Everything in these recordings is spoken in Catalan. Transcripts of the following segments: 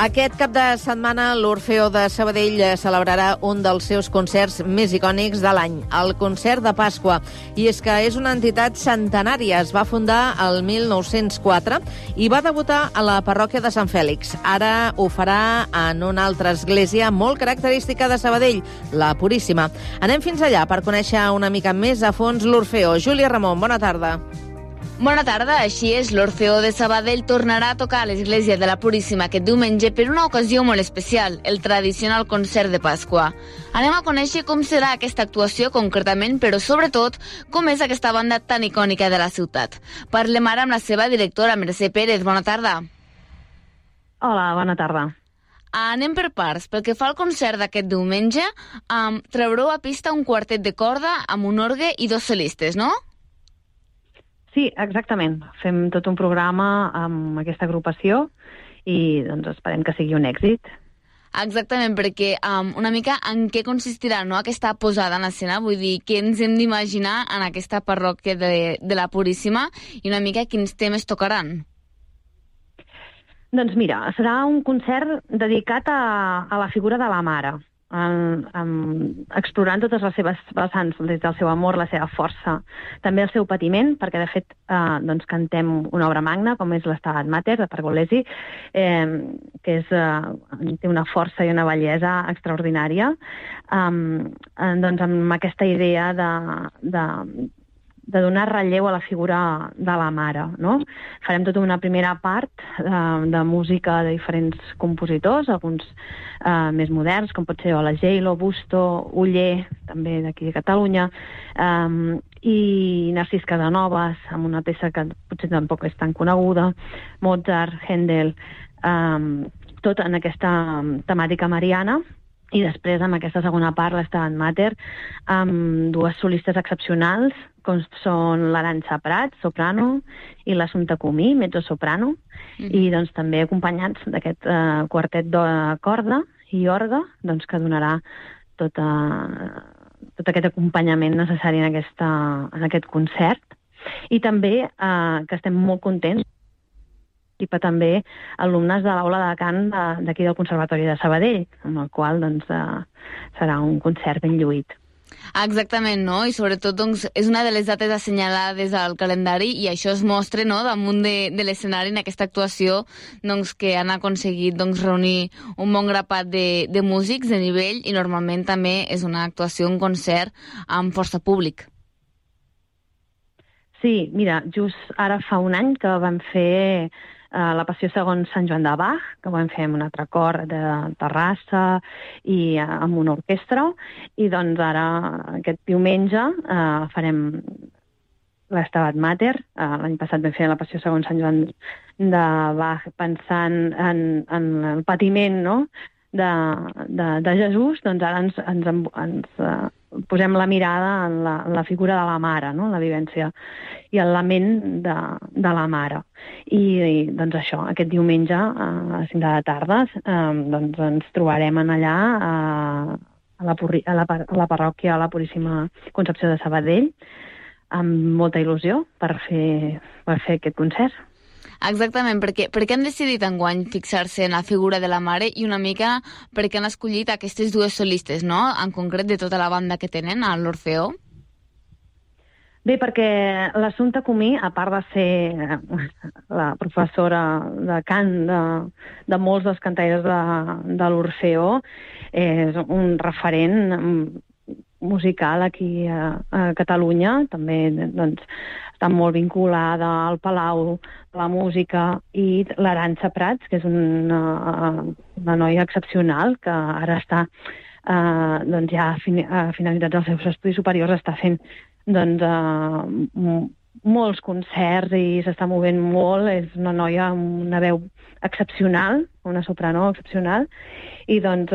Aquest cap de setmana l'Orfeó de Sabadell celebrarà un dels seus concerts més icònics de l'any, el Concert de Pasqua. I és que és una entitat centenària. Es va fundar el 1904 i va debutar a la parròquia de Sant Fèlix. Ara ho farà en una altra església molt característica de Sabadell, la Puríssima. Anem fins allà per conèixer una mica més a fons l'Orfeó. Júlia Ramon, bona tarda. Bona tarda, així és, l'Orfeó de Sabadell tornarà a tocar a l'església de la Puríssima aquest diumenge per una ocasió molt especial, el tradicional concert de Pasqua. Anem a conèixer com serà aquesta actuació concretament, però sobretot com és aquesta banda tan icònica de la ciutat. Parlem ara amb la seva directora, Mercè Pérez. Bona tarda. Hola, bona tarda. Anem per parts. Pel que fa al concert d'aquest diumenge, traureu a pista un quartet de corda amb un orgue i 2 solistes, no? Sí, exactament. Fem tot un programa amb aquesta agrupació i doncs esperem que sigui un èxit. Exactament, perquè una mica en què consistirà, no, aquesta posada en escena? Vull dir, què ens hem d'imaginar en aquesta parròquia de la Puríssima i una mica quins temes tocaran? Doncs mira, serà un concert dedicat a la figura de la mare, explorant totes les seves vessants, des del seu amor, la seva força, també el seu patiment, perquè de fet doncs cantem una obra magna, com és l'Estabat Mater, de Pergolesi, que té una força i una bellesa extraordinària, doncs amb aquesta idea de donar relleu a la figura de la mare, no? Farem tota una primera part de música de diferents compositors, alguns més moderns, com pot ser Ola Gelo, Busto, Oller, també d'aquí de Catalunya, i Narcís Casanovas, amb una peça que potser tampoc és tan coneguda, Mozart, Händel, tot en aquesta temàtica mariana. I després, amb aquesta segona part, l'Estabat Mater, amb 2 solistes excepcionals, com són l'Arantxa Prat, soprano, i l'Assumpta Comí, mezzo-soprano, i doncs també acompanyats d'aquest quartet de corda i orgue, doncs, que donarà tot aquest acompanyament necessari en aquest concert. I també que estem molt contents i també alumnes de l'aula de cant d'aquí del Conservatori de Sabadell, amb el qual doncs, serà un concert ben lluït. Exactament, no? I sobretot doncs, és una de les dates assenyalades al calendari i això es mostra, no?, damunt de l'escenari en aquesta actuació doncs, que han aconseguit doncs, reunir un bon grapat de músics de nivell i normalment també és una actuació, un concert amb força públic. Sí, mira, just ara fa un any que vam fer la Passió segons Sant Joan de Bach, que vam fer amb un altre cor de Terrassa i amb una orquestra, i doncs ara, aquest diumenge, farem l'Estabat Mater. L'any passat vam fer la Passió segons Sant Joan de Bach pensant en el patiment, no?, de Jesús. Doncs ara ens posem la mirada en la figura de la mare, no?, la vivència i el lament de la mare. I doncs això, aquest diumenge a les 5 de la tarda doncs ens trobarem allà a la parròquia a la Puríssima Concepció de Sabadell amb molta il·lusió per fer aquest concert. Exactament, perquè han decidit enguany fixar-se en la figura de la mare i una mica perquè han escollit aquestes 2 solistes, no?, en concret de tota la banda que tenen a l'Orfeó? Bé, perquè l'Assumpta Comí, a part de ser la professora de cant de molts dels cantaires de l'Orfeó, és un referent musical aquí a Catalunya, també doncs, està molt vinculada al Palau de la Música, i l'Arantxa Prats, que és una noia excepcional, que ara està, doncs ja finalitzats els seus estudis superiors, està fent doncs, molts concerts i s'està movent molt. És una noia amb una veu excepcional, una soprano excepcional, i doncs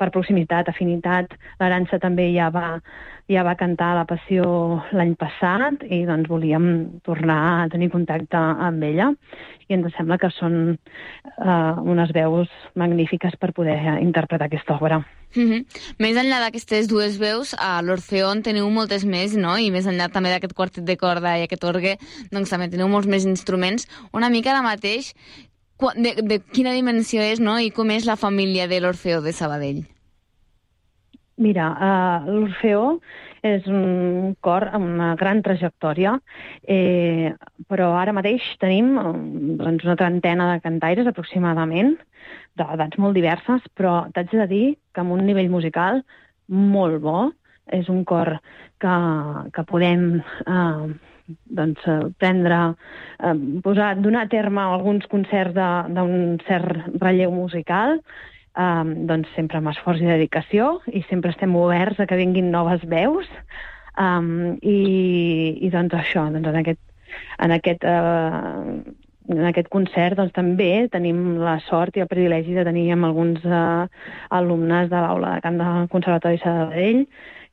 per proximitat, afinitat, l'Arantxa també ja va cantar la Passió l'any passat i doncs volíem tornar a tenir contacte amb ella i ens sembla que són unes veus magnífiques per poder interpretar aquesta obra. Més enllà d'aquestes 2 veus, a l'Orfeó en teniu moltes més, no? I més enllà també d'aquest quartet de corda i aquest orgue, doncs també teniu molts més instruments. Una mica ara mateix, de quina dimensió és, no? I com és la família de l'Orfeó de Sabadell? Mira, l'Orfeó és un cor amb una gran trajectòria, però ara mateix tenim doncs, una trentena de cantaires aproximadament, d'edats molt diverses, però t'haig de dir que amb un nivell musical molt bo. És un cor que podem donar a terme alguns concerts d'un cert relleu musical, doncs sempre amb esforç i dedicació, i sempre estem oberts a que vinguin noves veus, i doncs això, doncs en aquest concert doncs, també tenim la sort i el privilegi de tenir amb alguns alumnes de l'aula de cant del Conservatori Sabadell,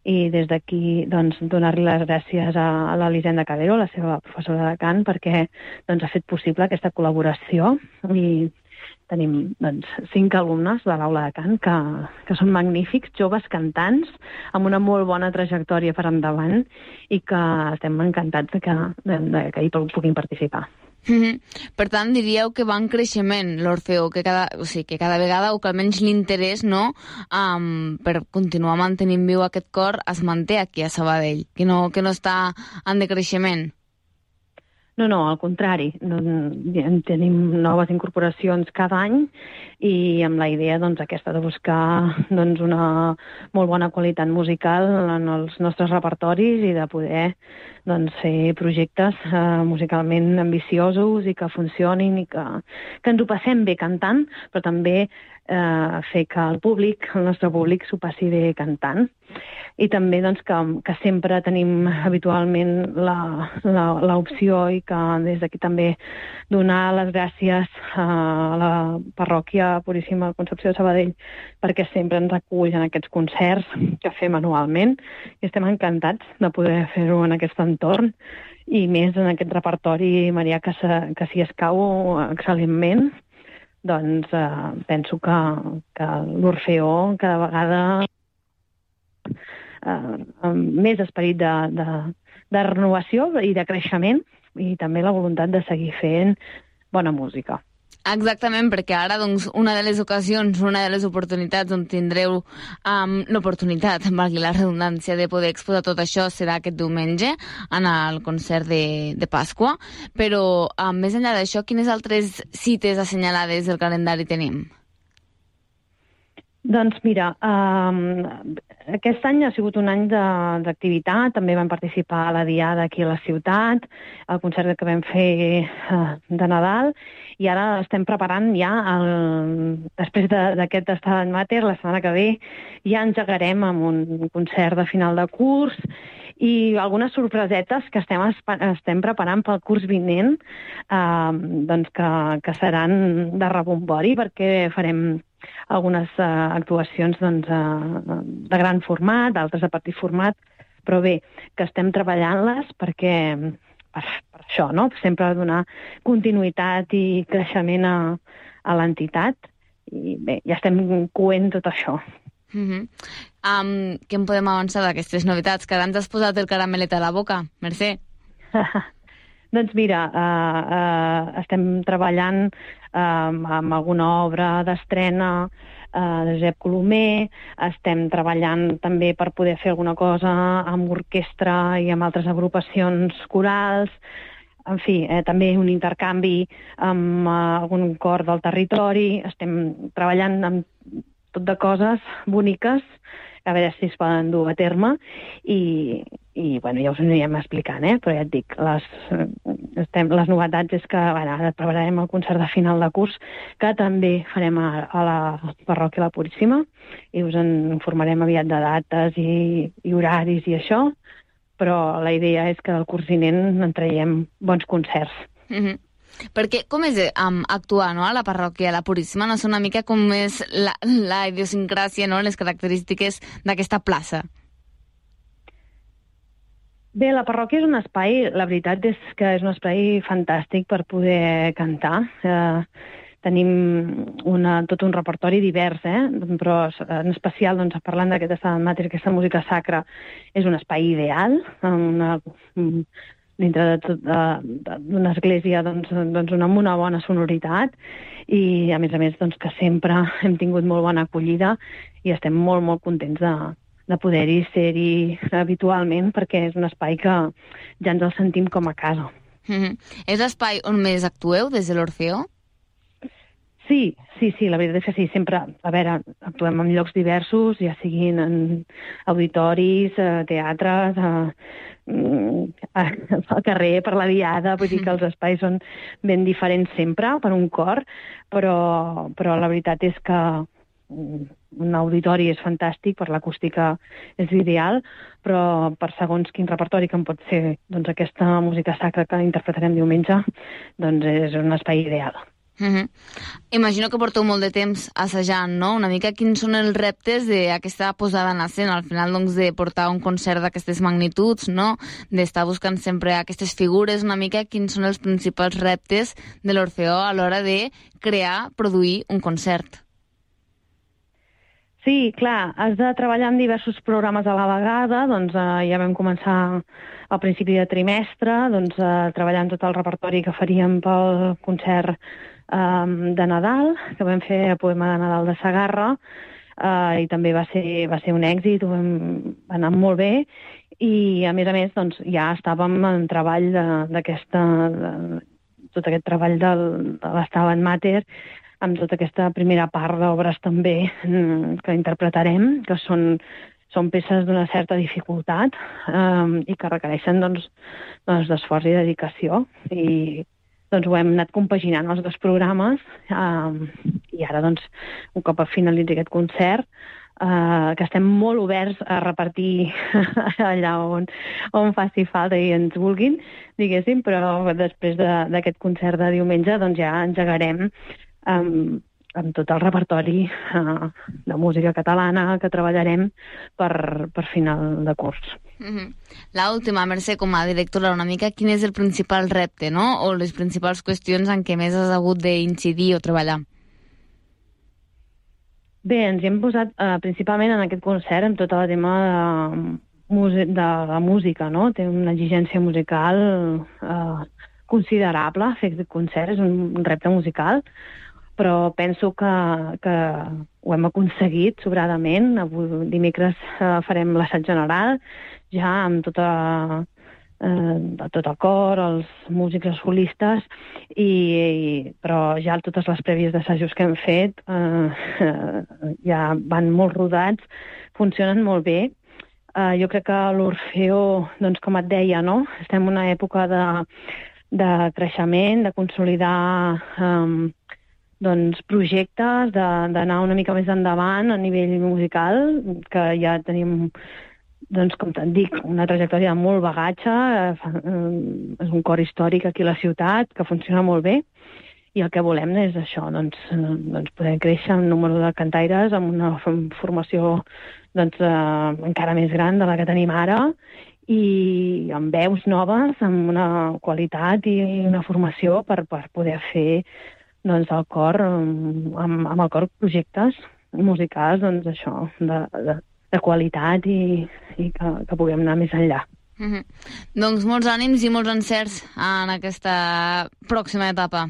i des d'aquí doncs, donar-li les gràcies a l'Elisenda Cabero, la seva professora de cant, perquè doncs, ha fet possible aquesta col·laboració, i tenim doncs, 5 alumnes de l'aula de cant que són magnífics, joves cantants, amb una molt bona trajectòria per endavant, i que estem encantats que hi puguin participar. Per tant, diríeu que va en creixement l'Orfeó, que cada vegada, o que almenys l'interès, no, per continuar mantenint viu aquest cor es manté aquí a Sabadell, que no està en decreixement. No, al contrari. Tenim noves incorporacions cada any, i amb la idea aquesta de buscar una molt bona qualitat musical en els nostres repertoris i de poder fer projectes musicalment ambiciosos i que funcionin i que ens ho passem bé cantant, però també fer que el nostre públic s'ho passi bé cantant. I també que sempre tenim habitualment l'opció, i que des d'aquí també donar les gràcies a la parròquia Puríssima Concepció de Sabadell, perquè sempre ens acull en aquests concerts que fem anualment, i estem encantats de poder fer-ho en aquest entorn, i més en aquest repertori marià que s'hi escau excel·lentment. Doncs penso que l'Orfeó cada vegada amb més esperit de renovació i de creixement, i també la voluntat de seguir fent bona música. Exactament, perquè ara una de les ocasions, una de les oportunitats on tindreu l'oportunitat, valgui la redundància, de poder exposar tot això serà aquest diumenge en el concert de Pasqua, però més enllà d'això, quines altres cites assenyalades del calendari tenim? Doncs mira, aquest any ha sigut un any d'activitat, també vam participar a la Diada aquí a la ciutat, al concert que vam fer de Nadal, i ara estem preparant ja, després d'aquest Stabat Mater, la setmana que ve, ja engegarem amb un concert de final de curs, i algunes sorpresetes que estem preparant pel curs vinent, que seran de rebombori, perquè farem algunes actuacions de gran format, d'altres de petit format, però bé, que estem treballant-les perquè per això, no? Sempre donar continuïtat i creixement a l'entitat, i bé, ja estem coent tot això. Què en podem avançar d'aquestes novetats? Que ara ens has posat el caramelet a la boca, Mercè. Doncs mira, estem treballant amb alguna obra d'estrena de Josep Colomer, estem treballant també per poder fer alguna cosa amb orquestra i amb altres agrupacions corals, en fi, també un intercanvi amb algun cor del territori. Estem treballant amb tot de coses boniques, a veure si es poden dur a terme, i bueno, ja us ho anirem explicant, però ja et dic, les novetats és que ara prepararem el concert de final de curs, que també farem a la parròquia La Puríssima, i us en informarem aviat de dates i horaris i això, però la idea és que del curs vinent en traiem bons concerts. Perquè com és actuar, no, a la parròquia La Puríssima? No sé una mica com és la idiosincràsia, no, les característiques d'aquesta plaça. Bé, la parròquia és un espai, la veritat és que és un espai fantàstic per poder cantar. Tenim tot un repertori divers, però en especial, parlant d'aquest Stabat Mater, aquesta música sacra, és un espai ideal, dintre d'una església doncs, amb una bona sonoritat i, a més, doncs, que sempre hem tingut molt bona acollida i estem molt, molt contents de poder-hi ser-hi habitualment perquè és un espai que ja ens el sentim com a casa. És l'espai on més actueu des de l'Orfeó? Sí, la veritat és que sí, sempre, a veure, actuem en llocs diversos, ja siguin en auditoris, teatres, al carrer, per la diada, vull dir que els espais són ben diferents sempre per un cor, però la veritat és que un auditori és fantàstic, per l'acústica és ideal, però per segons quin repertori que pot ser doncs, aquesta música sacra que interpretarem diumenge, doncs és un espai ideal. Imagino que porteu molt de temps assajant, no? Una mica quins són els reptes d'aquesta posada en escena, al final doncs, de portar un concert d'aquestes magnituds, no? D'estar buscant sempre aquestes figures, una mica quins són els principals reptes de l'Orfeó a l'hora de crear, produir un concert. Sí, clar, has de treballar en diversos programes a la vegada, doncs ja vam començar al principi de trimestre, doncs treballant tot el repertori que faríem pel concert de Nadal, que vam fer el poema de Nadal de Segarra, i també va ser un èxit, va anar molt bé, i a més, doncs, ja estàvem en treball tot aquest treball de l'Estabat Mater, amb tota aquesta primera part d'obres també que interpretarem, que són peces d'una certa dificultat i que requereixen d'esforç i dedicació. I doncs ho hem anat compaginant els dos programes i ara, doncs, un cop finalitzi aquest concert, que estem molt oberts a repartir allà on faci falta i ens vulguin, diguéssim, però després d'aquest concert de diumenge doncs ja engegarem amb tot el repertori de música catalana que treballarem per final de curs. L'última, Mercè, com a directora, una mica, quin és el principal repte, no? O les principals qüestions en què més has hagut d'incidir o treballar? Bé, ens hi hem posat principalment en aquest concert amb tot el tema de la música, no? Té una exigència musical considerable fer aquest concert, és un repte musical, però penso que ho hem aconseguit sobradament. Avui dimecres farem l'assaig general, ja amb tot el cor, els músics, els solistes, però ja totes les prèvies d'assajos que hem fet ja van molt rodats, funcionen molt bé. Jo crec que l'Orfeó, doncs, com et deia, no? Estem en una època de creixement, de consolidar projectes, d'anar una mica més endavant a nivell musical, que ja tenim, doncs, com te'n dic, una trajectòria de molt bagatge, és un cor històric aquí a la ciutat, que funciona molt bé, i el que volem és això, doncs poder créixer en número de cantaires, amb una formació encara més gran de la que tenim ara, i amb veus noves, amb una qualitat i una formació per poder fer el cor, amb el cor projectes musicals, doncs això, de qualitat i que puguem anar més enllà. Doncs molts ànims i molts encerts en aquesta pròxima etapa.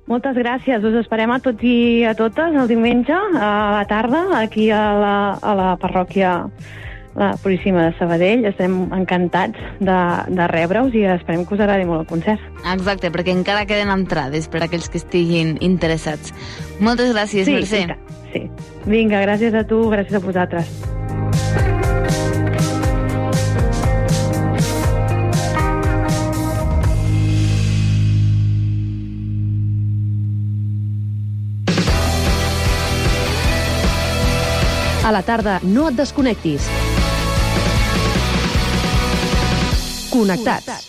Moltes gràcies, us esperem a tots i a totes el diumenge a la tarda, aquí a la parròquia la Puríssima de Sabadell. Estem encantats de rebre-us i esperem que us agradi molt el concert. Exacte, perquè encara queden entrades per a aquells que estiguin interessats. Moltes gràcies, Mercè. Sí. Vinga, gràcies a tu, gràcies a vosaltres. A la tarda no et desconnectis. Connectats.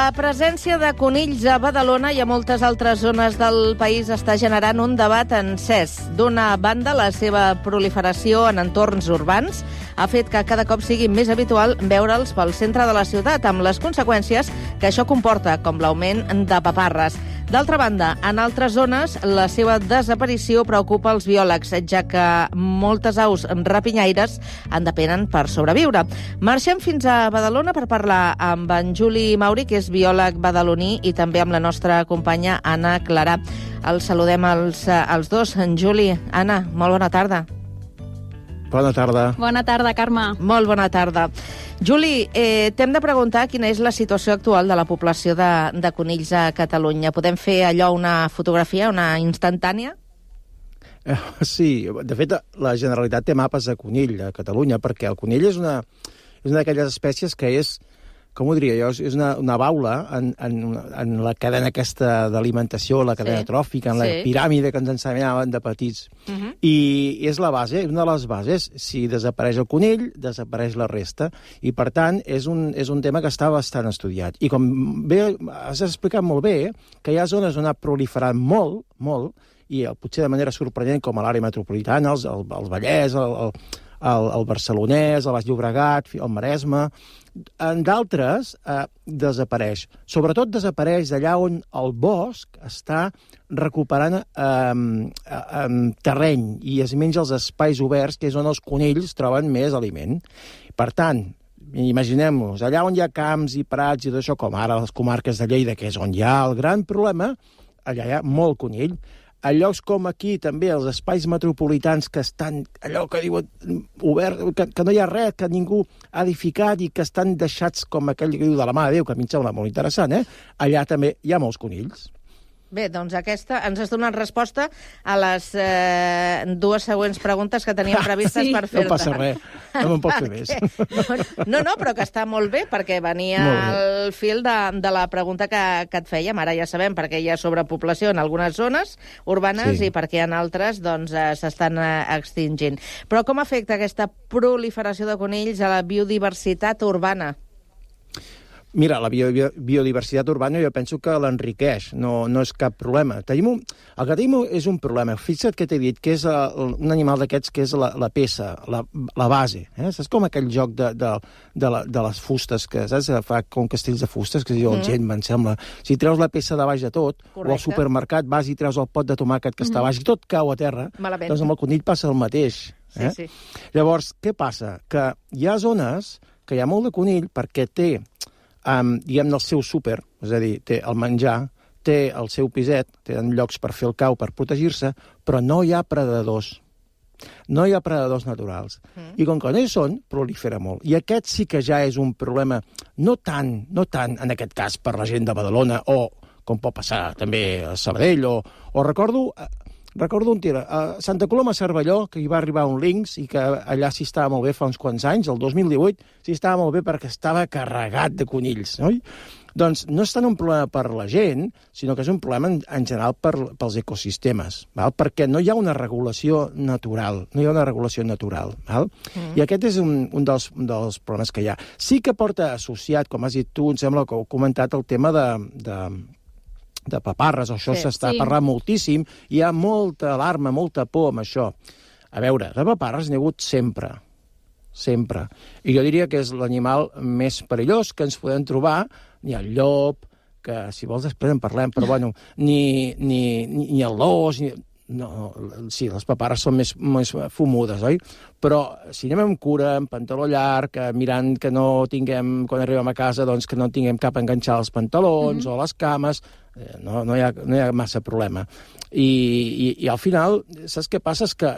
La presència de conills a Badalona i a moltes altres zones del país està generant un debat encès. D'una banda, la seva proliferació en entorns urbans ha fet que cada cop sigui més habitual veure'ls pel centre de la ciutat, amb les conseqüències que això comporta, com l'augment de paparres. D'altra banda, en altres zones, la seva desaparició preocupa els biòlegs, ja que moltes aus rapinyaires en depenen per sobreviure. Marxem fins a Badalona per parlar amb en Juli Mauri, que és biòleg badaloní, i també amb la nostra companya Anna Clarà. Els saludem els dos. En Juli, Anna, molt bona tarda. Bona tarda. Bona tarda, Carme. Molt bona tarda. Juli, t'hem de preguntar quina és la situació actual de la població de conills a Catalunya. Podem fer allò, una fotografia, una instantània? Sí, de fet, la Generalitat té mapes de conill a Catalunya, perquè el conill és una d'aquelles espècies que és, com ho diria jo, és una baula en la cadena aquesta d'alimentació, la cadena tròfica, en la piràmide que ens ensenyaven de petits. I és la base, una de les bases. Si desapareix el conill, desapareix la resta. I, per tant, és un tema que està bastant estudiat. I com bé has explicat molt bé, que hi ha zones on ha proliferat molt, i potser de manera sorprenent, com a l'àrea metropolitana, el Vallès, el Barcelonès, el Baix Llobregat, el Maresme. En d'altres desapareix. Sobretot desapareix d'allà on el bosc està recuperant terreny i es menja els espais oberts, que és on els conills troben més aliment. Per tant, imaginem-nos, allà on hi ha camps i prats i tot això, com ara les comarques de Lleida, que és on hi ha el gran problema, allà hi ha molt conill. A llocs com aquí, també, els espais metropolitans que estan, allò que diuen, obert, que no hi ha res, que ningú ha edificat i que estan deixats com aquell que diu de la mà de Déu, que a mi em sembla molt interessant, allà també hi ha molts conills. Bé, doncs aquesta ens has donat resposta a les dues següents preguntes que teníem previstes per fer-te. No passa res, no me'n pots fer més. No, però que està molt bé, perquè venia al fil de la pregunta que et fèiem. Ara ja sabem per què hi ha sobrepoblació en algunes zones urbanes i per què en altres s'estan extingint. Però com afecta aquesta proliferació de conills a la biodiversitat urbana? Mira, la biodiversitat urbana jo penso que l'enriqueix, no és cap problema. El que tenim és un problema. Fixa't que t'he dit que és un animal d'aquests que és la peça, la base. Saps com aquell joc de les fustes, que saps? Fa com castells de fustes, que es diu el gent, em sembla. Si treus la peça de baix de tot, o al supermercat vas i treus el pot de tomàquet que està baix i tot cau a terra, doncs amb el conill passa el mateix. Sí. Llavors, què passa? Que hi ha zones que hi ha molt de conill perquè té diguem-ne el seu súper, és a dir, té el menjar, té el seu piset, tenen llocs per fer el cau, per protegir-se, però no hi ha predadors. No hi ha predadors naturals. I com que no hi són, prolifera molt. I aquest sí que ja és un problema, no tant, en aquest cas, per la gent de Badalona, o com pot passar també a Sabadell, o recordo un tir, a Santa Coloma a Cervelló, que hi va arribar un linx i que allà s'hi estava molt bé fa uns quants anys, el 2018, s'hi estava molt bé perquè estava carregat de conills, oi? Doncs no és tant un problema per la gent, sinó que és un problema en general pels ecosistemes, val? Perquè no hi ha una regulació natural, val? I aquest és un dels problemes que hi ha. Sí que porta associat, com has dit tu, em sembla que heu comentat, el tema de paparres, això s'està parlant moltíssim, hi ha molta alarma, molta por amb això. A veure, de paparres n'hi ha hagut sempre. I jo diria que és l'animal més perillós que ens podem trobar, ni el llop, que si vols després en parlem, però bueno, ni el l'os, no, sí, les paparres són més fumudes, oi? Però si anem amb cura, amb pantaló llarg, mirant que no tinguem, quan arribem a casa, doncs que no tinguem cap enganxar als pantalons o les cames, no hi ha massa problema. I al final, saps què passa? És que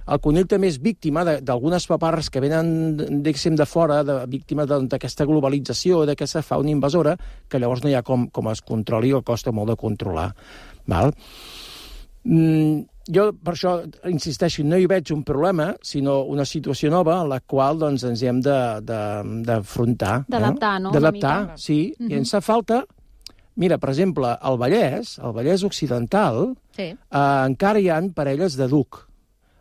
el conill també és víctima d'algunes paparres que venen, diguéssim, de fora, víctima d'aquesta globalització, d'aquesta fauna invasora, que llavors no hi ha com es controli o costa molt de controlar. Val? Jo, per això, insisteixo, no hi veig un problema, sinó una situació nova en la qual doncs, ens hi hem d'afrontar. D'adaptar, no? D'adaptar, sí. I ens fa falta... Mira, per exemple, al Vallès Occidental, encara hi ha parelles de duc.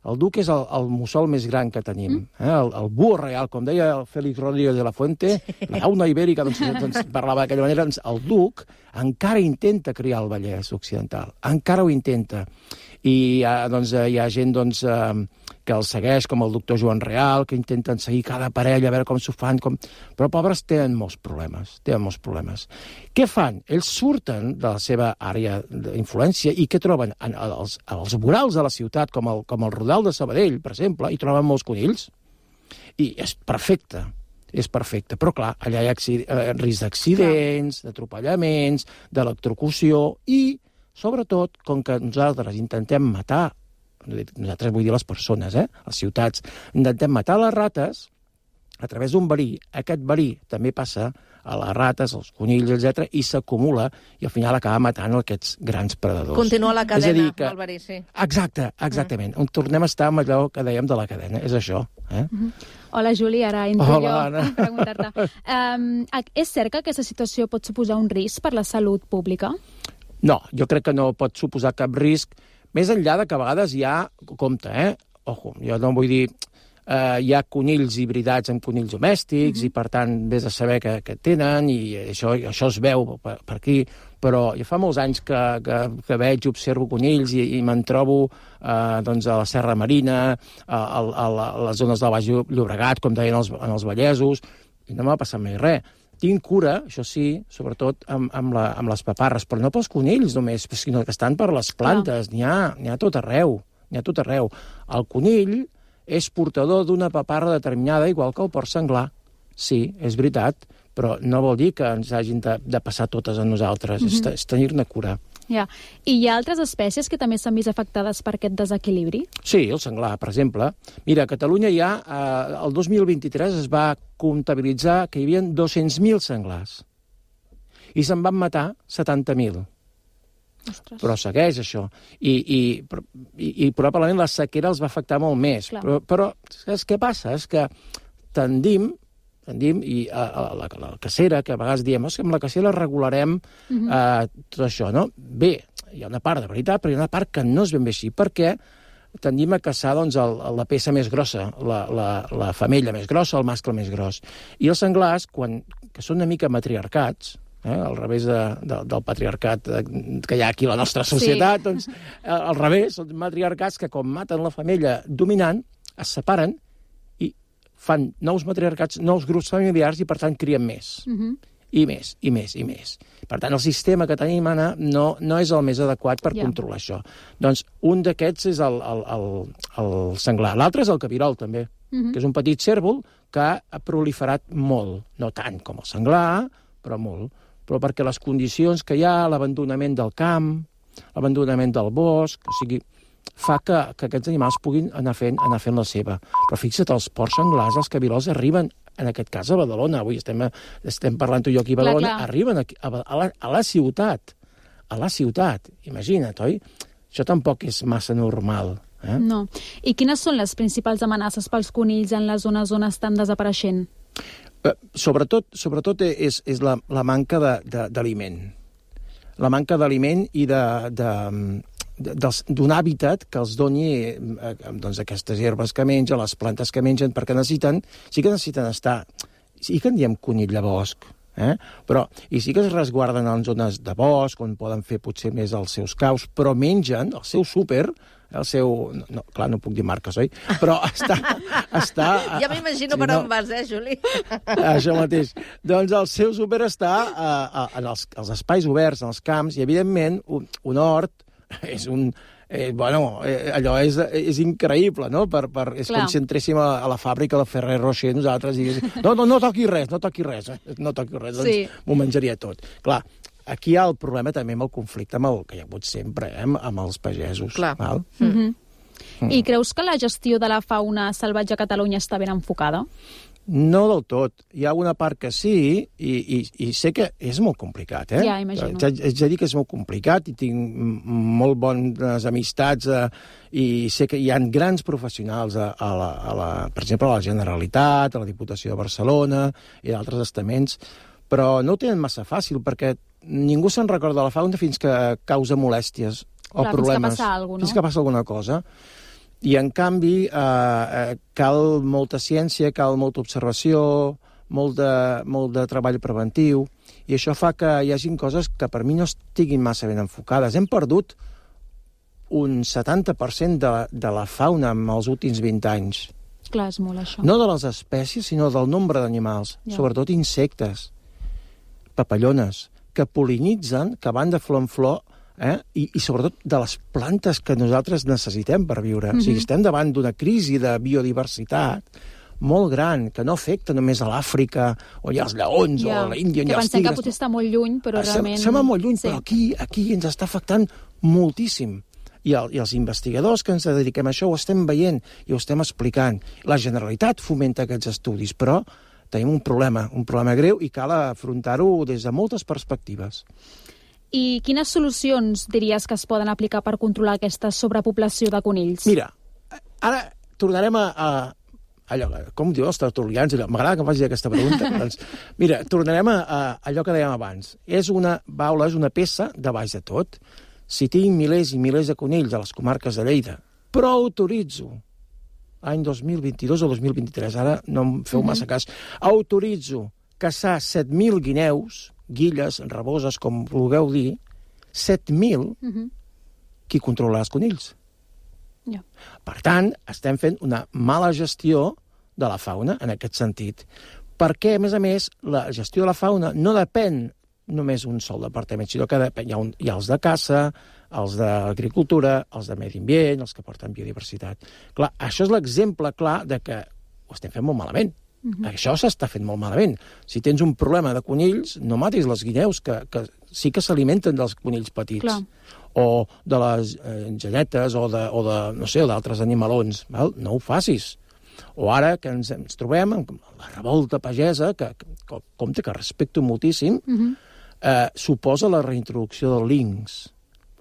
El duc és el mussol més gran que tenim. El búho real, com deia el Félix Rodríguez de la Fuente, la fauna ibèrica, doncs parlava d'aquella manera, doncs el duc encara intenta criar el Vallès Occidental. Encara ho intenta. I hi ha gent que el segueix, com el doctor Joan Real, que intenten seguir cada parella, a veure com s'ho fan. Però, pobres, tenen molts problemes. Què fan? Ells surten de la seva àrea d'influència i què troben? Els vorals de la ciutat, com el Rodal de Sabadell, per exemple, hi troben molts conills. I és perfecte. Però, clar, allà hi ha risc d'accidents, d'atropellaments, d'electrocució i, sobretot, com que nosaltres intentem matar, nosaltres vull dir les persones, les ciutats, intentem matar les rates a través d'un verí. Aquest verí també passa a les rates, als conills, etc., i s'acumula i al final acaba matant aquests grans predadors. Continua la cadena, el verí, sí. Exactament. On tornem a estar amb allò que dèiem de la cadena, és això. Hola, Juli, ara entro jo Anna. a preguntar-te. És cert que aquesta situació pot suposar un risc per la salut pública? No, jo crec que no pot suposar cap risc, més enllà de que a vegades hi ha, compte, ojo, jo no vull dir, hi ha conills hibridats amb conills domèstics i, per tant, vés a saber què tenen i això es veu per aquí, però ja fa molts anys que veig, observo conills i me'n trobo a la Serra Marina, a les zones del Baix Llobregat, com deien els vallesos, i no m'ha passat mai res. Tinc cura, això sí, sobretot amb les paparres, però no pels conills només, sinó que estan per les plantes, n'hi ha tot arreu. El conill és portador d'una paparra determinada, igual que el porc senglar. Sí, és veritat, però no vol dir que ens hagin de passar totes a nosaltres, és tenir-ne cura. Ja. I hi ha altres espècies que també s'han vist afectades per aquest desequilibri? Sí, el senglar, per exemple. Mira, a Catalunya el 2023 es va comptabilitzar que hi havia 200.000 senglars i se'n van matar 70.000. Ostres. Però segueix això. I probablement la sequera els va afectar molt més. Però saps què passa? És que tendim i la cacera, que a vegades diem que amb la cacera regularem tot això, no? Bé, hi ha una part de veritat, però hi ha una part que no és ben bé així, perquè tendim a caçar la peça més grossa, la femella més grossa, el mascle més gros. I els senglars, que són una mica matriarcats, al revés del patriarcat que hi ha aquí a la nostra societat, doncs al revés, són matriarcats que quan maten la femella dominant, es separen fan nous matriarcats, nous grups familiars i, per tant, crien més. I més. Per tant, el sistema que tenim, Anna, no és el més adequat per controlar això. Doncs un d'aquests és el senglar. L'altre és el cabirol, també, que és un petit cérvol que ha proliferat molt. No tant com el senglar, però molt. Però perquè les condicions que hi ha, l'abandonament del camp, l'abandonament del bosc, o sigui, fa que aquests animals puguin anar fent la seva. Però fixa't, els porcs senglars, els cabirols, arriben, en aquest cas a Badalona, avui estem parlant tu i jo aquí a Badalona, arriben a la ciutat. A la ciutat, imagina't, oi? Això tampoc és massa normal. No. I quines són les principals amenaces pels conills en les zones on estan desapareixent? Sobretot és la manca d'aliment. La manca d'aliment i d'un hàbitat que els doni aquestes herbes que mengen, les plantes que mengen, perquè sí que necessiten estar... Sí que en diem conill de bosc, però i sí que es resguarden en zones de bosc, on poden fer potser més els seus caus, però mengen el seu súper, el seu... No, clar, no puc dir marques, oi? Però està ja m'imagino per on vas, Juli? Això mateix. Doncs el seu súper està en els espais oberts, en els camps, i evidentment un hort és allò és increïble, no? És com si entréssim a la fàbrica de Ferrer Rocher nosaltres i diguéssim, no toqui res, doncs m'ho menjaria tot. Clar, aquí hi ha el problema també amb el conflicte que hi ha hagut sempre, amb els pagesos. Clar. Val? I creus que la gestió de la fauna salvatge a Catalunya està ben enfocada? No del tot. Hi ha una part que sí, i sé que és molt complicat, Ja, imagino. Haig de dir que és molt complicat i tinc molt bones amistats i sé que hi ha grans professionals, per exemple, a la Generalitat, a la Diputació de Barcelona i d'altres estaments, però no ho tenen massa fàcil perquè ningú se'n recorda de la fauna fins que causa molèsties o problemes. Fins que passa alguna cosa, no? Fins que passa alguna cosa. I, en canvi, cal molta ciència, cal molta observació, molt de treball preventiu, i això fa que hi hagi coses que per mi no estiguin massa ben enfocades. Hem perdut un 70% de la fauna en els últims 20 anys. Clar, és molt això. No de les espècies, sinó del nombre d'animals, sobretot insectes, papallones, que pol·linitzen, que van de flor en flor, i sobretot de les plantes que nosaltres necessitem per viure. O sigui, estem davant d'una crisi de biodiversitat molt gran, que no afecta només a l'Àfrica, on hi ha els lleons, o a l'Índia, on hi ha els tigres. Que pensem que potser està molt lluny, però realment... Sembla molt lluny, però aquí ens està afectant moltíssim. I els investigadors que ens dediquem a això ho estem veient i ho estem explicant. La Generalitat fomenta aquests estudis, però tenim un problema greu i cal afrontar-ho des de moltes perspectives. I quines solucions diries que es poden aplicar per controlar aquesta sobrepoblació de conills? Mira, ara tornarem a allò, com diu els tertulians, m'agrada que em facis aquesta pregunta. Doncs, mira, tornarem a allò que dèiem abans. És una peça de baix de tot. Si tinc milers i milers de conills a les comarques de Lleida, però autoritzo, any 2022 o 2023, ara no em feu massa cas, autoritzo caçar 7.000 guineus, guilles, raboses, com vulgueu dir, 7.000, qui controla els conills? Per tant, estem fent una mala gestió de la fauna en aquest sentit. Perquè, a més, la gestió de la fauna no depèn només un sol departament, sinó que hi ha els de caça, els d'agricultura, els de medi ambient, els que porten biodiversitat. Clar, això és l'exemple clar de que ho estem fent molt malament. Això s'està fent molt malament. Si tens un problema de conills, no matis les guineus, que sí que s'alimenten dels conills petits. Clar. O de les genetes, o d'altres animalons. Val? No ho facis. O ara que ens trobem amb la revolta pagesa, que compte que respecto moltíssim, suposa la reintroducció del linx.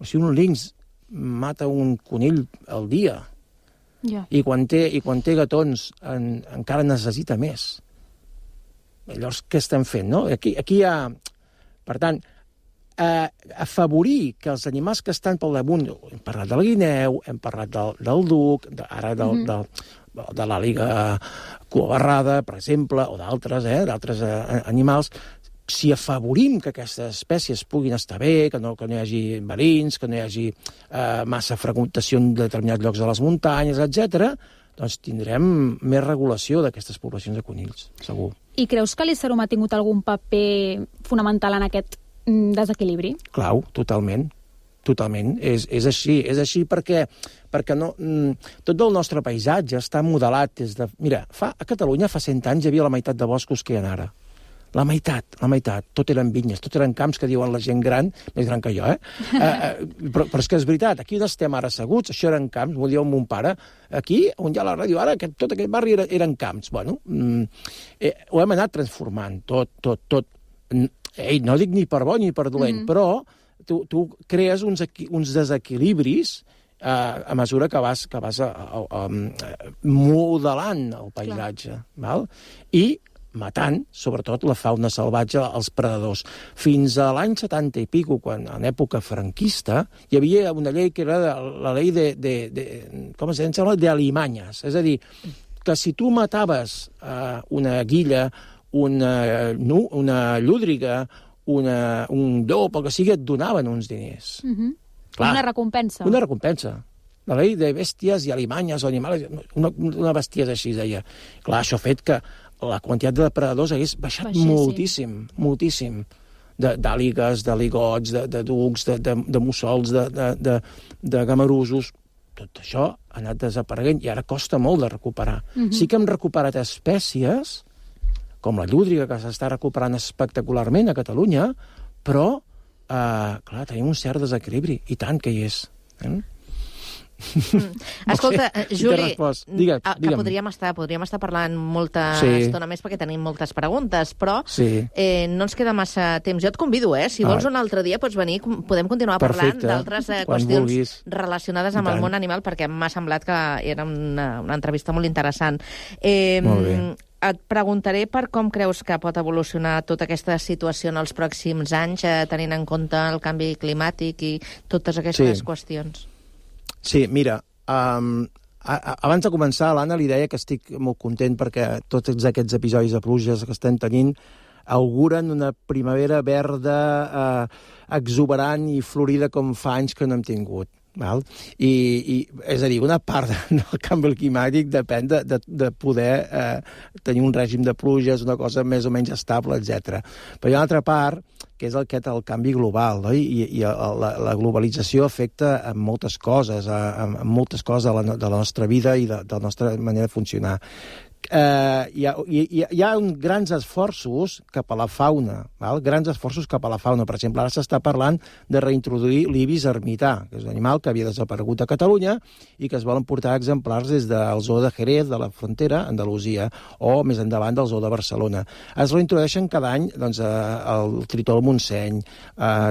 O sigui, un linx mata un conill al dia, i quan té gatons encara necessita més. Llavors, què estem fent, no? Aquí hi ha... Per tant, afavorir que els animals que estan pel damunt... Hem parlat del guineu, hem parlat del duc, ara de l'àliga cuabarrada, per exemple, o d'altres animals. Si afavorim que aquestes espècies puguin estar bé, que no hi hagi verins, que no hi hagi massa fragmentació en determinats llocs de les muntanyes, etc., doncs tindrem més regulació d'aquestes poblacions de conills, segur. I creus que l'Icerum ha tingut algun paper fonamental en aquest desequilibri? Clau, totalment. Totalment. És així perquè no, tot el nostre paisatge està modelat des de... Mira, a Catalunya fa 100 anys hi havia la meitat de boscos que hi ha ara. La meitat. Tot eren vinyes, tot eren camps que diuen la gent gran, més gran que jo, però és que és veritat, aquí on estem ara asseguts, això eren camps, m'ho diu mon pare, aquí, on hi ha la ràdio, ara tot aquest barri eren camps. Bueno, ho hem anat transformant, tot. No dic ni per bo ni per dolent, però tu crees uns desequilibris a mesura que vas modelant el paisatge, val? I matant, sobretot, la fauna salvatge, els predadors. Fins a l'any 70 i pico, quan en època franquista, hi havia una llei que era la llei com es diu? De alimanyes. És a dir, que si tu mataves una guilla, una llúdriga, un llop, el que sigui, et donaven uns diners. Una recompensa. Una recompensa. La llei de bèsties i alimanyes o animals, una bestiesa així, deia. Clar, això ha fet que la quantitat de depredadors hagués baixat moltíssim. D'àligues, de ligots, de ducs, de mussols, de gamarusos. Tot això ha anat desapareguent i ara costa molt de recuperar. Sí que hem recuperat espècies, com la llúdriga, que s'està recuperant espectacularment a Catalunya, però, clar, tenim un cert desequilibri, i tant que hi és. Escolta, Juli, que podríem estar parlant molta estona més perquè tenim moltes preguntes, però no ens queda massa temps. Jo et convido, si vols un altre dia pots venir, podem continuar parlant d'altres qüestions relacionades amb el món animal, perquè m'ha semblat que era una entrevista molt interessant. Molt bé. Et preguntaré per com creus que pot evolucionar tota aquesta situació en els pròxims anys, tenint en compte el canvi climàtic i totes aquestes qüestions. Sí, mira, Abans de començar, l'Anna li deia que estic molt content perquè tots aquests episodis de pluges que estem tenint auguren una primavera verda exuberant i florida com fa anys que no hem tingut. Val? I és a dir, una part del canvi climàtic depèn de poder tenir un règim de pluges, una cosa més o menys estable, etc. Però hi ha una altra part, que és el canvi global, no? I la globalització afecta en moltes coses, en moltes coses de la nostra vida i de la nostra manera de funcionar. Hi ha grans esforços cap a la fauna, val? Grans esforços cap a la fauna. Per exemple, ara s'està parlant de reintroduir l'ibis ermità, que és un animal que havia desaparegut a Catalunya i que es volen portar exemplars des del zoo de Jerez, de la frontera, Andalusia, o més endavant del zoo de Barcelona. Es reintrodueixen cada any el tritó del Montseny,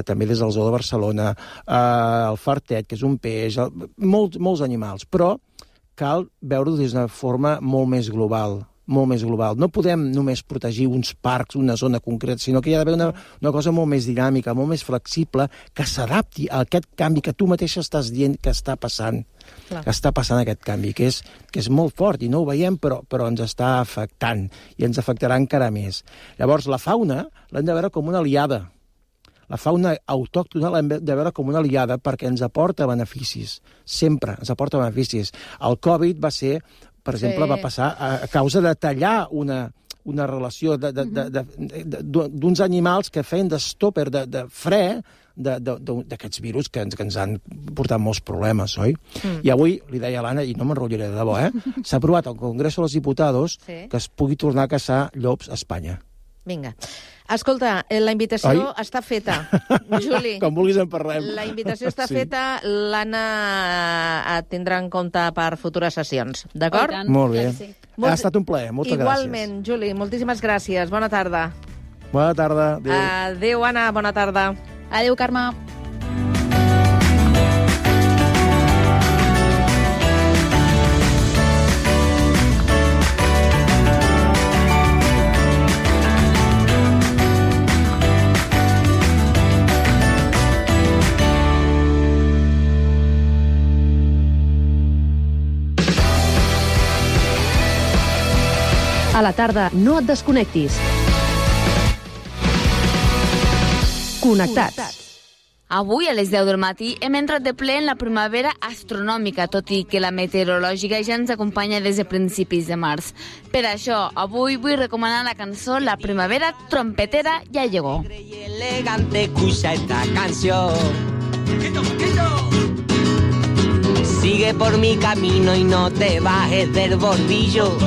també des del zoo de Barcelona, el fartet, que és un peix, molts animals, però cal veure-ho des d'una forma molt més global. No podem només protegir uns parcs, una zona concreta, sinó que hi ha d'haver una cosa molt més dinàmica, molt més flexible, que s'adapti a aquest canvi que tu mateixa estàs dient que està passant. Clar. Que està passant aquest canvi, que és molt fort i no ho veiem, però ens està afectant i ens afectarà encara més. Llavors, la fauna l'hem de veure com una aliada. La fauna autòctona l'hem de veure com una aliada perquè ens aporta beneficis. Sempre ens aporta beneficis. El Covid va ser, per exemple, va passar a causa de tallar una relació d'uns animals que feien d'estopper, de fre, d'aquests virus que ens han portat molts problemes, oi? I avui, li deia a l'Anna, i no m'enrotllaré de debò, s'ha aprovat al Congreso de los Diputados que es pugui tornar a caçar llops a Espanya. Vinga. Escolta, la invitació està feta. Juli. Com vulguis en parlem. La invitació està feta, l'Anna et tindrà en compte per futures sessions, d'acord? Molt bé. Ha estat un plaer, moltes gràcies. Igualment, Juli, moltíssimes gràcies. Bona tarda. Bona tarda. Adéu, Anna, bona tarda. Adéu, Carme. A la tarda, no et desconnectis. Connectats. Avui, a les 10 del matí, hem entrat de ple en la primavera astronòmica, tot i que la meteorològica ja ens acompanya des de principis de març. Per això, avui vull recomanar la cançó La primavera trompetera ya llegó. Elegante, escucha esta canción. Sigue por mi camino y no te bajes del bordillo.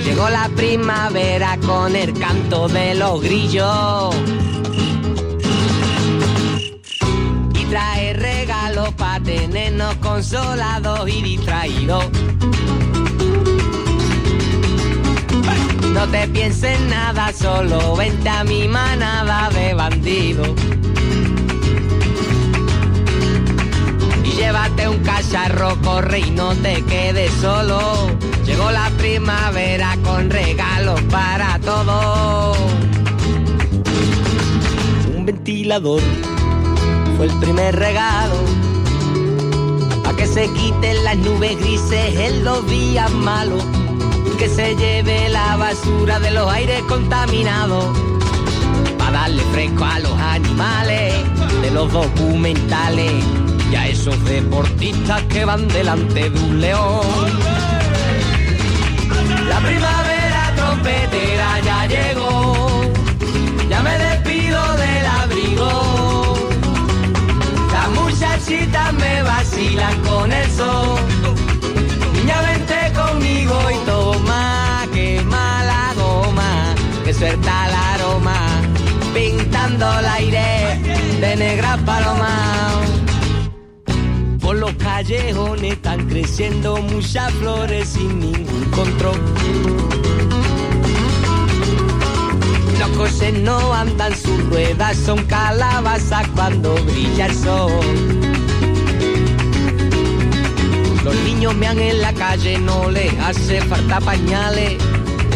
Llegó la primavera con el canto de los grillos. Y trae regalos para tenernos consolados y distraídos. No te pienses nada, solo vente a mi manada de bandidos. Llévate un cacharro, corre y no te quedes solo. Llegó la primavera con regalos para todos. Un ventilador fue el primer regalo, pa' que se quiten las nubes grises en los días malos, que se lleve la basura de los aires contaminados, pa' darle fresco a los animales de los documentales y a esos deportistas que van delante de un león. La primavera trompetera ya llegó, ya me despido del abrigo. Las muchachitas me vacilan con el sol. Niña, vente conmigo y toma, quema la goma, que suelta el aroma, pintando el aire de negras palomas. Por los callejones están creciendo muchas flores sin ningún control. Los coches no andan, sus ruedas son calabazas cuando brilla el sol. Los niños mean en la calle, no les hace falta pañales.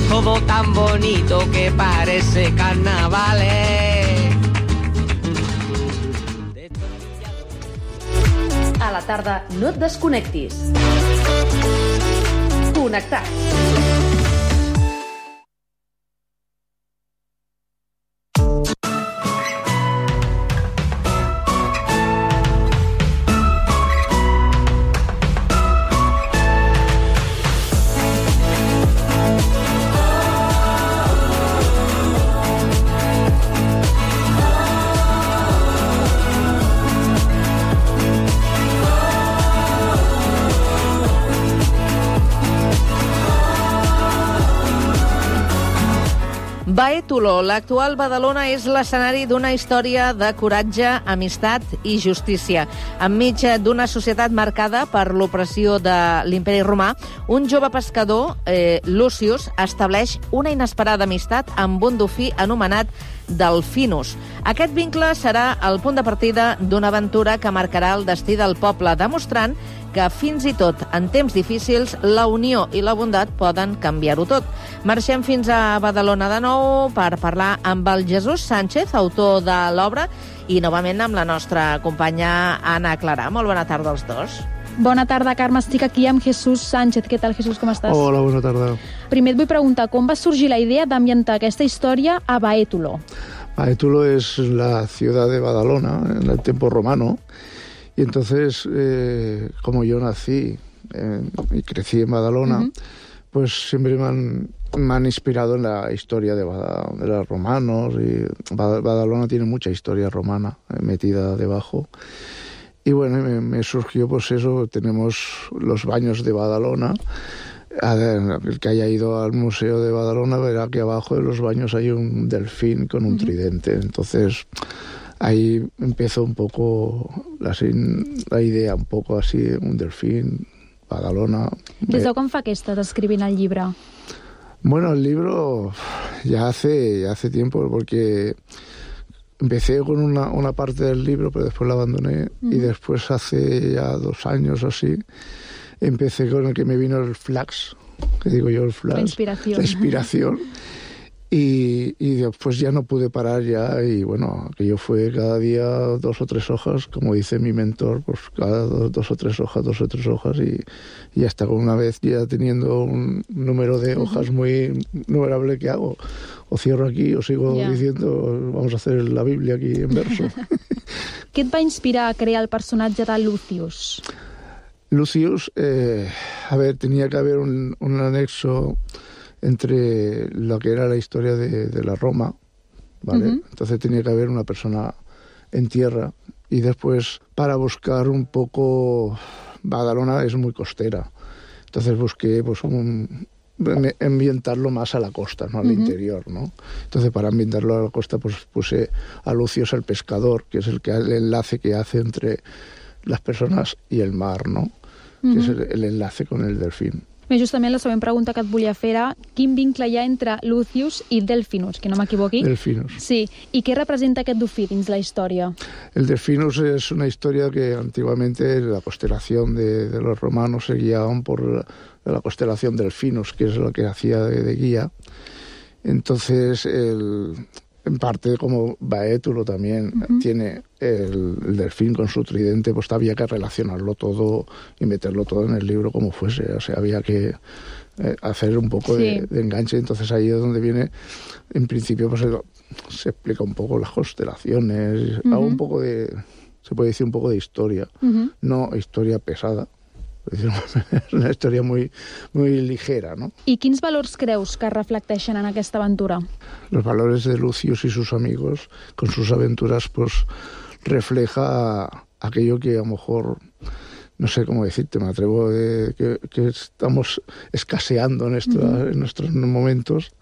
Todo tan bonito que parece carnavales. A la tarda, no et desconnectis. Connectats. Baétulo, l'actual Badalona, és l'escenari d'una història de coratge, amistat i justícia. Enmig d'una societat marcada per l'opressió de l'Imperi Romà, un jove pescador, Lucius, estableix una inesperada amistat amb un dofí anomenat Delfinus. Aquest vincle serà el punt de partida d'una aventura que marcarà el destí del poble, demostrant que fins i tot en temps difícils la unió i la bondat poden canviar-ho tot. Marxem fins a Badalona de nou per parlar amb el Jesús Sánchez, autor de l'obra, i novament amb la nostra companya Anna Clarà. Molt bona tarda als dos. Bona tarda, Carme. Estic aquí amb Jesús Sánchez. Què tal, Jesús? Com estàs? Hola, bona tarda. Primer et vull preguntar com va sorgir la idea d'ambientar aquesta història a Baétulo. Baétulo es la ciudad de Badalona en el tiempo romano. Y entonces, como yo nací y crecí en Badalona, pues siempre me han inspirado en la historia de los romanos. Y Badalona tiene mucha historia romana metida debajo. Y bueno, me surgió pues eso. Tenemos los baños de Badalona. El que haya ido al museo de Badalona verá que abajo de los baños hay un delfín con un tridente. Entonces ahí empezó un poco la idea, un poco así, un delfín, Badalona. Des de quan fa que estàs escrivint el llibre? Bueno, el libro ya hace tiempo, porque empecé con una parte del libro, pero después la abandoné, y después hace ya 2 años o así, empecé con el que me vino el flash, que digo yo el flash. La inspiración. Y después ya no pude parar ya, y bueno, aquello fue cada día 2 o 3 hojas, como dice mi mentor, pues cada 2 o 3 hojas, y hasta con una vez ya teniendo un número de hojas muy numerable, que hago, o cierro aquí o sigo diciendo, vamos a hacer la Biblia aquí en verso. Què et va inspirar a crear el personatge de Lucius? Lucius, tenía que haber un anexo entre lo que era la historia de la Roma, ¿vale? Entonces tenía que haber una persona en tierra, y después, para buscar un poco, Badalona es muy costera, entonces busqué pues ambientarlo más a la costa, no al interior, ¿no? Entonces, para ambientarlo a la costa, pues puse a Lucius el pescador, que es el enlace que hace entre las personas y el mar, ¿no? Que és el enlace con el delfín. Bé, justament la següent pregunta que et volia fer era quin vincle hi ha entre Lucius i Delfinus, que no m'equivoqui. Delfinus. Sí, i què representa aquest dofí dins la història? El Delfinus es una historia que antiguamente la constelación de los romanos se guiaban por la constelación Delfinus, que es lo que hacía de guía. Entonces, en parte, como Baétulo también tiene el delfín con su tridente, pues había que relacionarlo todo y meterlo todo en el libro como fuese. O sea, había que hacer un poco de enganche. Entonces ahí es donde viene, en principio, pues se explica un poco las constelaciones, hago un poco se puede decir un poco de historia, no historia pesada. És una història muy ligera, ¿no? I quins valors creus que reflecteixen en aquesta aventura? Los valores de Lucius y sus amigos, con sus aventuras, pues refleja aquello que a lo mejor, no sé cómo decirte, me atrevo que estamos escaseando en nuestros momentos,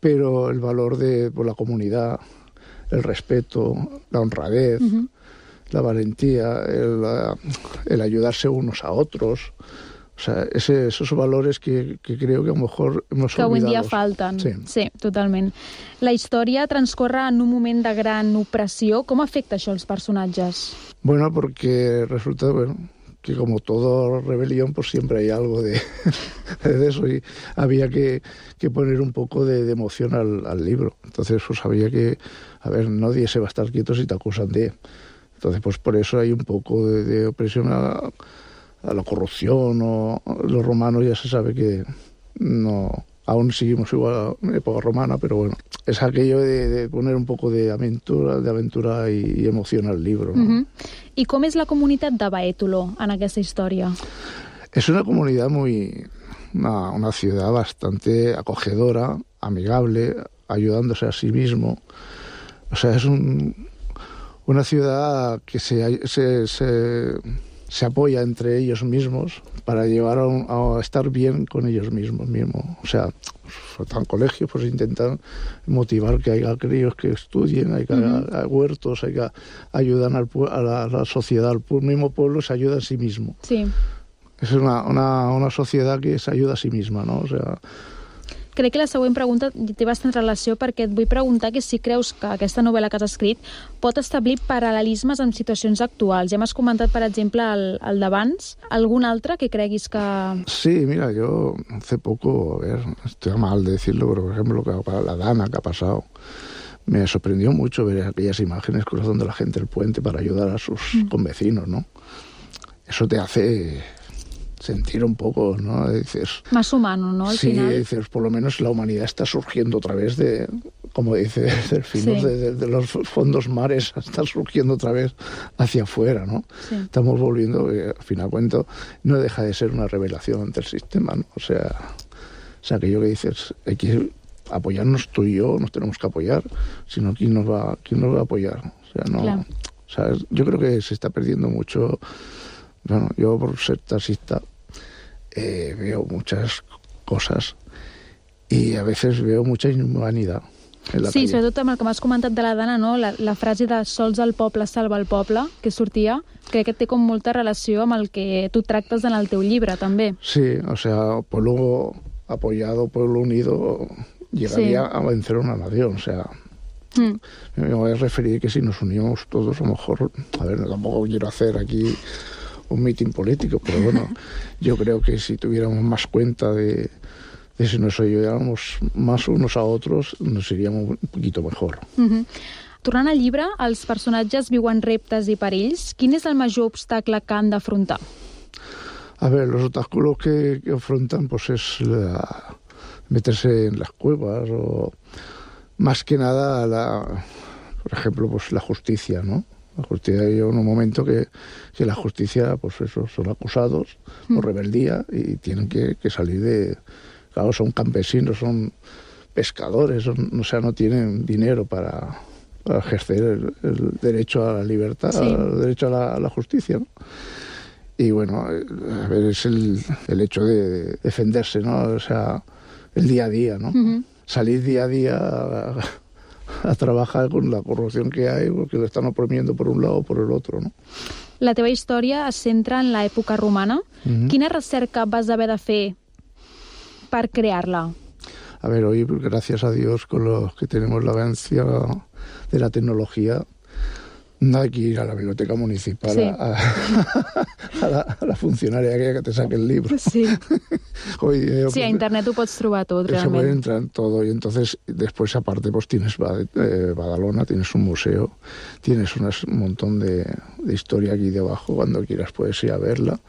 pero el valor de la comunidad, el respeto, la honradez, la valentía, el ayudarse unos a otros. O sea, esos valores que creo que a lo mejor hemos olvidado. Que avui en dia falten. Sí, totalment. La història transcorre en un moment de gran opressió. Com afecta això els personatges? Bueno, porque resulta, que como toda rebelión, pues siempre hay algo de eso, y había que poner un poco de emoción al libro. Entonces, pues había que, nadie se va a estar quieto si te acusan de... Entonces, pues por eso hay un poco de opresión la corrupción o los romanos ya se sabe que no, aún seguimos igual en época romana, pero bueno, es aquello de poner un poco de aventura y emoción al libro, ¿no? I com és la comunitat de Baétolo en aquesta història? Es una comunidad una ciudad bastante acogedora, amigable, ayudándose a sí mismo. O sea, es una ciudad que se apoya entre ellos mismos para llevar a estar bien con ellos mismos. O sea, faltan colegios, pues intentan motivar que haya críos que estudien, hay que hay huertos, hay que ayudan a la sociedad, al mismo pueblo se ayuda a sí mismo. Sí. És una societat que s'ajuda a si misma, no? O sea... Crec que la següent pregunta té bastant relació perquè et vull preguntar que si creus que aquesta novel·la que has escrit pot establir paral·lelismes amb situacions actuals. Ja m'has comentat, per exemple, el d'abans. ¿Algun altre que creguis que...? Sí, mira, yo hace poco, estoy mal de decirlo, pero por ejemplo, la Dana que ha pasado, me sorprendió mucho ver aquellas imágenes cruzando la gente el puente para ayudar a sus convecinos, ¿no? Eso te hace sentir un poco, ¿no? Dices, más humano, ¿no? Al final. Sí, dices, por lo menos la humanidad está surgiendo otra vez de, como dice Delfino, de los fondos mares, está surgiendo otra vez hacia afuera, ¿no? Sí. Estamos volviendo, al final cuento, no deja de ser una revelación ante el sistema, ¿no? O sea, aquello que dices, hay que apoyarnos tú y yo, nos tenemos que apoyar, sino ¿quién nos va a apoyar? O sea, no, claro. O sea, yo creo que se está perdiendo mucho. Bueno, yo por ser taxista veo muchas cosas i a veces veo mucha inhumanidad en la calle. Sobretot amb el que m'has comentat de la Dana, no? La frase de sols el poble salva el poble, que sortia, crec que té com molta relació amb el que tu tractes en el teu llibre, també. Sí, o sea, pueblo apoyado, pueblo unido, llegaría a vencer una nación, o sea... Me voy a referir que si nos unimos todos, a lo mejor, a ver, tampoco quiero hacer aquí un mitin político, pero bueno, yo creo que si tuviéramos más cuenta de si nos ayudáramos más unos a otros, nos iríamos un poquito mejor. Tornant al llibre, els personatges viuen reptes i perills. Quin és el major obstacle que han d'afrontar? A ver, los obstáculos que afrontan pues es meterse en las cuevas o más que nada, por ejemplo, pues la justicia, ¿no? La justicia, hay un momento que la justicia, pues eso, son acusados por rebeldía y tienen que salir de... Claro, son campesinos, son pescadores, o sea, no tienen dinero para ejercer el derecho a la libertad, el derecho a la justicia, ¿no? Y bueno, a ver, es el hecho de defenderse, ¿no? O sea, el día a día, ¿no? Salir día a día a trabajar con la corrupción que hay, porque lo están oprimiendo por un lado o por el otro, ¿no? La teva història es centra en l'època romana. Quina recerca vas haver de fer per crear-la? A ver, hoy, gracias a Dios, con los que tenemos la avancia de la tecnología, no hay que ir a la biblioteca municipal a la funcionaria que te saque el libro. Sí. Hoy, a internet ho pots trobar tot, realment. Se puede entrar en todo y entonces después aparte pues tienes Badalona, tienes un museo, tienes un montón de historia aquí debajo, cuando quieras puedes ir a verla.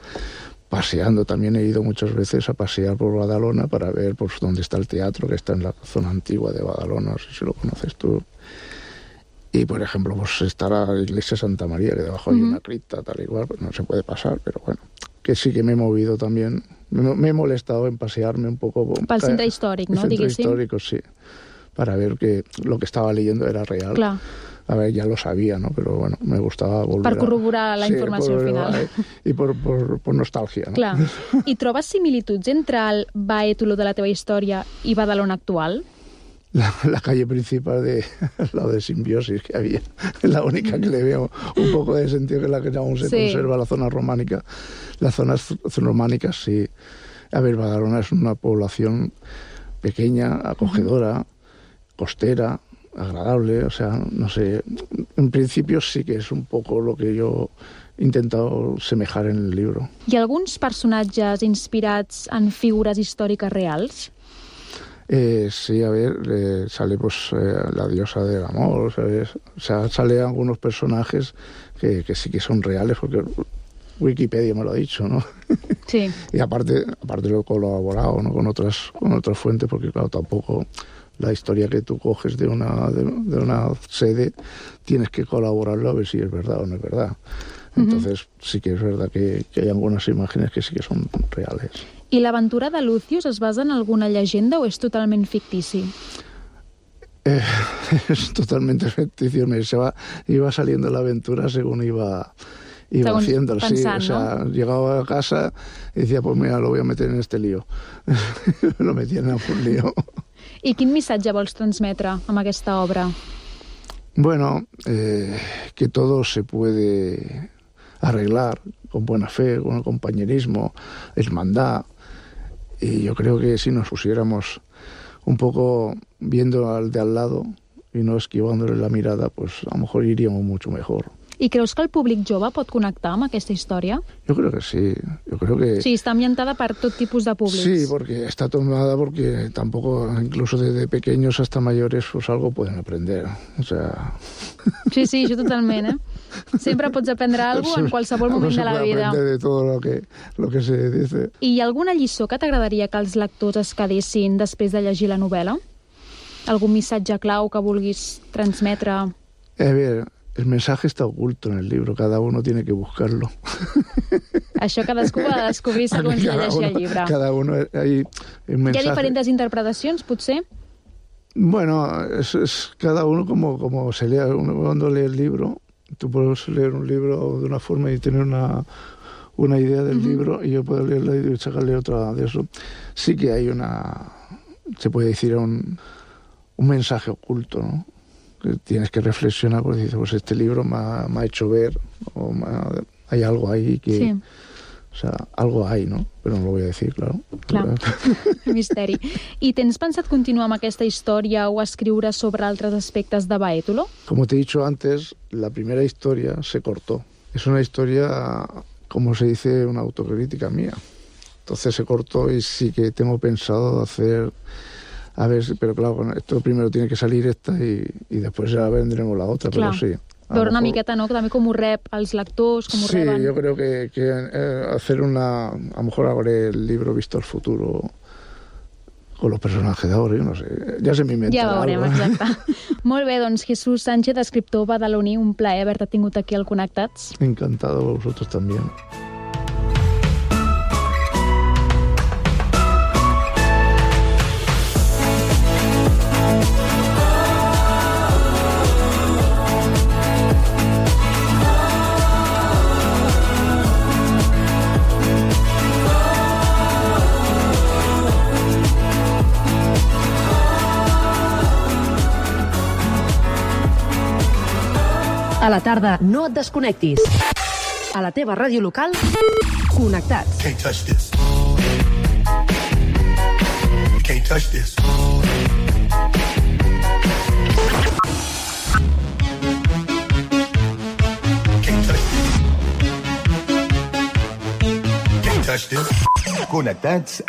Paseando, también he ido muchas veces a pasear por Badalona para ver pues dónde está el teatro, que está en la zona antigua de Badalona, no sé si lo conoces tú. Y, por ejemplo, pues está la iglesia Santa María, que debajo hay una cripta, tal y cual, pues no se puede pasar, pero bueno, que sí que me he movido también, me he molestado en pasearme un poco. Pel centre històric, no? El centre histórico, sí, para ver que lo que estaba leyendo era real. Clar. A ver, ya lo sabía, ¿no? Pero bueno, me gustaba volver per corroborar la informació final. I por nostàlgia, no? Clar. I trobes similituds entre el Baétolo de la teva història i Badalona actual? La calle principal al lado de Simbiosis que había, es la única que le veo un poco de sentido, que es la que aún se conserva, la zona románica. Las zonas románicas, sí. A ver, Badalona es una población pequeña, acogedora, costera, agradable, o sea, no sé, en principio sí que es un poco lo que yo he intentado semejar en el libro. Hi ha alguns personatges inspirats en figures històriques reals? Sí, a ver, sale pues la diosa del amor, ¿sabes? O sea, sale algunos personajes que sí que son reales, porque Wikipedia me lo ha dicho, ¿no? Sí. Y aparte lo he colaborado, ¿no? con otras fuentes, porque claro, tampoco la historia que tú coges de una sede tienes que colaborarlo a ver si es verdad o no es verdad. Entonces sí que es verdad que hay algunas imágenes que sí que son reales. I l'aventura de Lucius es basa en alguna llegenda o és totalment fictici? Es totalmente ficticio. Iba saliendo la aventura según iba haciendo. Pensant, sí, o sea, ¿no? llegaba a casa y decía, pues mira, lo voy a meter en este lío. Lo metía en algún lío. I quin missatge vols transmetre amb aquesta obra? Bueno, que todo se puede arreglar con buena fe, con compañerismo, hermandad. Y yo creo que si nos pusiéramos un poco viendo al de al lado y no esquivándole la mirada, pues a lo mejor iríamos mucho mejor. I creus que el públic jove pot connectar amb aquesta història? Yo creo que sí, yo creo que... Sí, està ambientada per tot tipus de públics. Sí, porque está tomada porque tampoco, incluso desde pequeños hasta mayores, pues algo pueden aprender. O sea... Sí, això totalment, eh? Sempre pots aprendre alguna cosa en qualsevol moment de la vida. Aprender de todo lo que se dice. I hi ha alguna lliçó que t'agradaria que els lectors es quedessin després de llegir la novel·la? Algun missatge clau que vulguis transmetre? A ver, el mensaje está oculto en el libro, cada uno tiene que buscarlo. Això cadascú ha de descobrir segons llegeixi el llibre. Cada uno hay un mensaje. Hi ha diferents interpretacions, potser? Bueno, es cada uno como se lea. Uno cuando lee el libro, tú puedes leer un libro de una forma y tener una idea del libro, y yo puedo leerla y sacarle otra de eso. Sí que hay se puede decir un mensaje oculto, ¿no? Que tienes que reflexionar, porque dices, pues este libro me ha hecho ver, o hay algo ahí que... Sí. O sea, algo hay, ¿no? Pero no lo voy a decir, claro. Clar, misteri. I tens pensat continuar amb aquesta història o escriure sobre altres aspectes de Baétolo? Como te he dicho antes, la primera historia se cortó. Es una historia, como se dice, una autocrítica mía. Entonces se cortó y sí que tengo pensado hacer... A ver, pero claro, esto primero tiene que salir esta y después ya vendremos la otra, Clar. pero sí. Veure una miqueta, no? També com ho rep els lectors, com ho reben. Sí, yo creo que hacer a lo mejor habré el libro Visto al futuro con los personajes de ahora, yo no sé. Ja se m'inventarà. Ja veurem, exacte. Molt bé, doncs Jesús Sánchez, escriptor badaloní, un plaer haver-te tingut aquí al Connectats. Encantado, vosotros también. A la tarda, no et desconnectis. A la teva ràdio local, Connectats. Can't touch this. You can't touch this. Can't touch this. Can't touch this. Connectats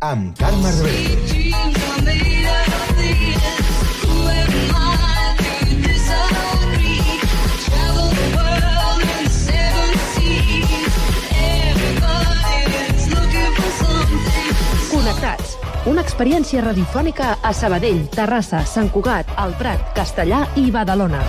amb Carme Rebell. Connectats. Una experiència radiofònica a Sabadell, Terrassa, Sant Cugat, El Prat, Castellar i Badalona.